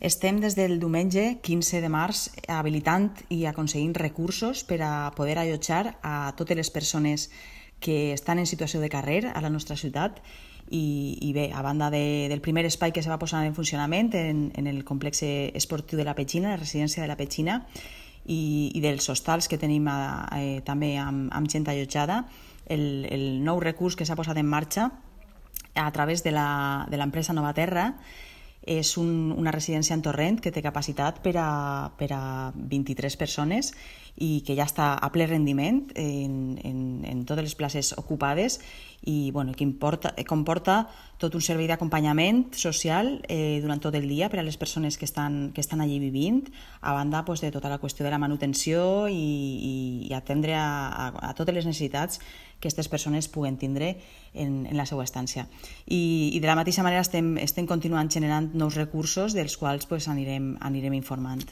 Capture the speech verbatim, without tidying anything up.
Estem des del diumenge quinze de març habilitant i aconseguint recursos per a poder allotjar a totes les persones que estan en situació de carrer a la nostra ciutat i, i bé, a banda de, del primer espai que se va posar en funcionament en, en el complex esportiu de la Petxina, la residència de la Petxina, i, i dels hostals que tenim a, eh, també amb, amb gent allotjada, el, el nou recurs que s'ha posat en marxa a través de l'empresa Nova Terra és un, una residència en Torrent que té capacitat per a, per a vint-i-tres persones i que ja està a ple rendiment en, en, en totes les places ocupades i bueno, que importa, comporta tot un servei d'acompanyament social eh, durant tot el dia per a les persones que estan, que estan allí vivint, a banda pues, de tota la qüestió de la manutenció i, i, i atendre a, a, a totes les necessitats que aquestes persones puguen tindre en, en la seva estància. I, i de la mateixa manera estem, estem continuant generant nous recursos dels quals pues, anirem, anirem informant.